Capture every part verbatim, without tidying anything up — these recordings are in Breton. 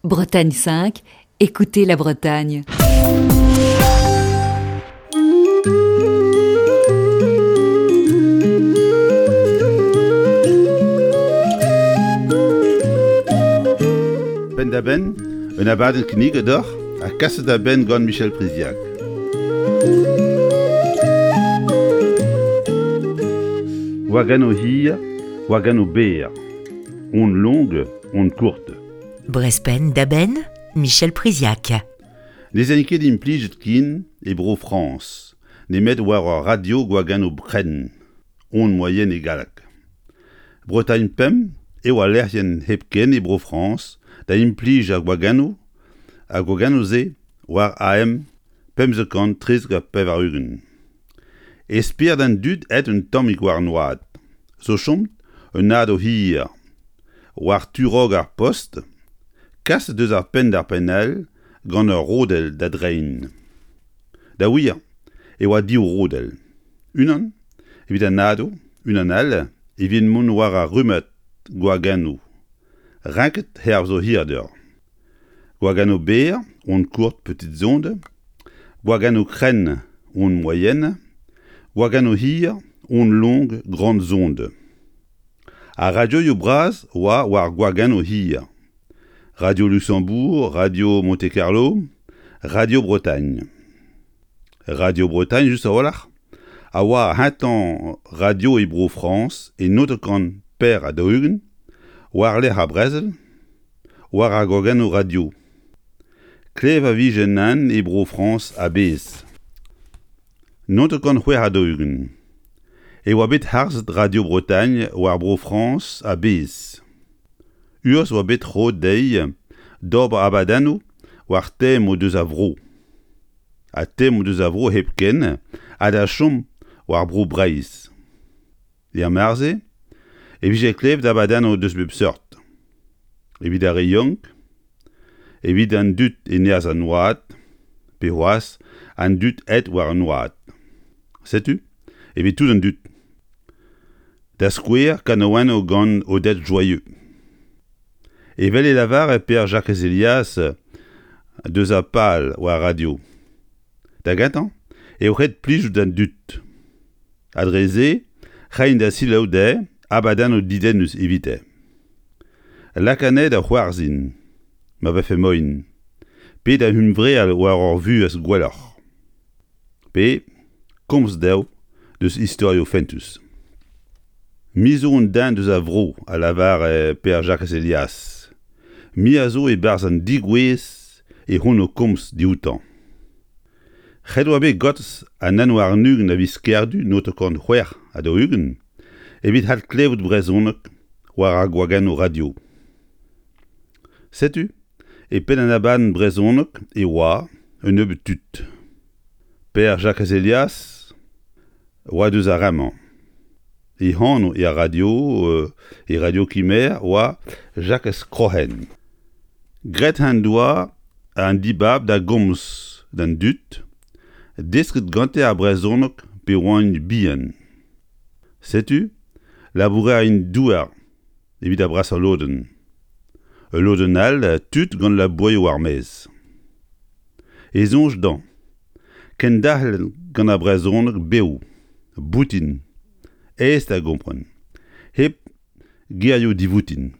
Bretagne cinq, écoutez la Bretagne. Penn-da-benn, un abadenn kinniget deoc'h ha kaset da benn gant Michel Priziac. Gwagennoù hir, gwagennoù berr. Onde longue, onde courte. Brezh penn-da-benn, Michel Priziac. Ne zen ket implijet ken e Bro-Frañs, nemet war ur radio gwagennoù krenn, onde moyenne e galleg. Bretagne pemp eo al lec'hienn hepken e Bro-Frañs da implij ar gwagennoù, ar gwagennoù-se war A M pemzek kant trizek ha pevar-ugent. E spered an dud aet un tammig war an oad, zo chom un nado hir, war tu-raok ar post, kaset deus ar penn d'ar penn all gant ur rodell da dreiñ. Da wir e oa div rodell. Unan evit an nado, unan all evit mont war ar rummad gwagennoù, renket hervez o hirder. Gwagennoù berr, onde courte petites ondes, gwagennoù krenn, onde moyenne, gwagennoù hir, onde longue grandes ondes. Ar radioioù bras oa war gwagennoù hir. Radio Luxembourg, Radio Monte-Carlo, Radio Bretagne. Radio Bretagne, just a-walc'h, a oa ar c'hentañ radio e Bro-Frañs e naontek kant per ha daou-ugent, war lerc'h ar brezel, war ar gwagennoù radio. Klev a vije anezhañ e Bro-Frañs a-bezh. Naontek kant c'hwec'h ha daou-ugent. E oa bet harzet Radio Bretagne war Bro-Frañs a-bezh. Urzh oa bet roet dezhi d'ober abadennoù war temoù deus ar vro. Ha temoù deus ar vro hepken ha da chom war Bro Breizh. Er mare-se e vije klevet abadennoù deus bep seurt. Evit ar re yaouank, evit an dud e nerzh an oad, pe c'hoazh an dud aet war an oad. Setu, evit tout an dud. Da skouer kanaouennoù gant Odette Joyeux. Evel e lavare Pêr-Jakez Elias deus ar pal war radio. Da gentañ eo ret plijout d'an dud. Ha dre se, reiñ da selaou dezhe abadennoù dedennus evite. Lakaat anezhe da c'hoarzhin, ma vefe moaien, pe da hunvreal war ur vuhez gwelloc'h. Pe komz dezho deus istorioù fentus. Me zo un den deus ar vro, a lavare Pêr-Jakez Elias. Me a zo e-barzh an degouezh e hon o komz dioutañ. Ret oa bet gortoz an un warn-ugent a viz Kerdu naontek kant c'hwec'h ha daou-ugent evit adklevout brezhoneg war ar gwagennoù radio. Setu, e penn an abadenn brezhoneg e oa un nebeud tud. Pêr-Jakez Elias oa deus ar re-mañ. E anv e radio, euh, e radio Kimerc'h oa Jakez Kroc'hen. Graet en doa an dibab da gomz d'an dud, desket gante ar brezhoneg pe oant bihan. Setu, labourerien douar evit ar brasañ lodenn. Ul lodenn all tud gant labourioù war maez. E soñj dezhañ, kenderc'hel gant ar brezhoneg bev, boutin, aes da gompren, hep gerioù divoutin.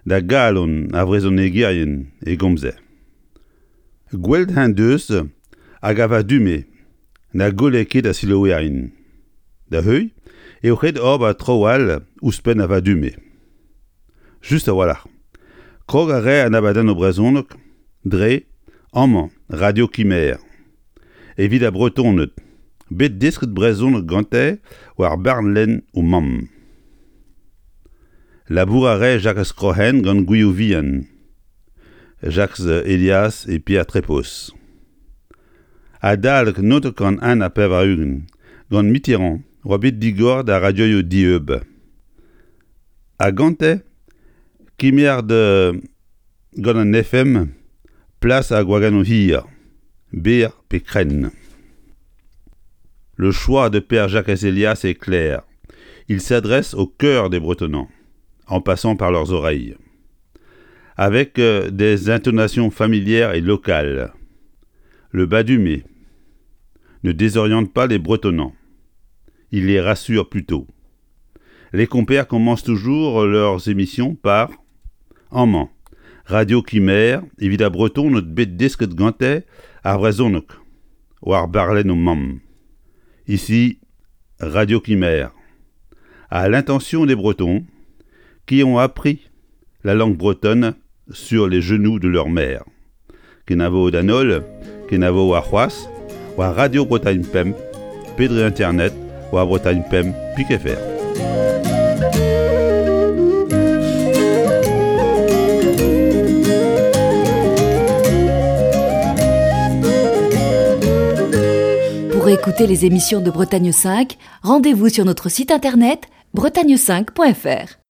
Da galon ar vrezhonegerien e gomze. Gwelet en deus hag a va dume na golle ket a selaouerien. Da heuilh eo ret ober traoù all ouzhpenn a va dume. Just a-walc'h. Krog a rae an abadennoù brezhoneg dre amañ Radio Kimerc'h. Evit ar Bretoned, bet desket brezhoneg gante war barlenn o mamm. Labour a rae Jakez Kroc'hen gant Gwilhou Vihan, Jakez Elias e Pierre Trepos. Adalek naontek kant un ha pevar-ugent, gant Mitterrand oa bet digoret ar radioioù dieub. Ha gante kemer de gant an F M plas ar gwagennoù hir, berr pe krenn. Le choix de Pêr-Jakez Elias est clair. Il s'adresse au cœur des Bretonnants, en passant par leurs oreilles. Avec des intonations familières et locales. Le badumé ne désoriente pas les Bretonnants. Il les rassure plutôt. Les compères commencent toujours leurs émissions par Amañ, Radio Quimer, evit ar Bretoned bet desket gante ar brezhoneg, war barlenn o mamm. Ici, Radio Quimer, à l'intention des Bretons qui ont appris la langue bretonne sur les genoux de leur mère. Kenavo d'an holl, kenavo warc'hoazh, war Radio Bretagne Pemp, pe dre internet, war Bretagne Pemp pik F R. Pour écouter les émissions de Bretagne cinq, rendez-vous sur notre site internet bretagne cinq point F R.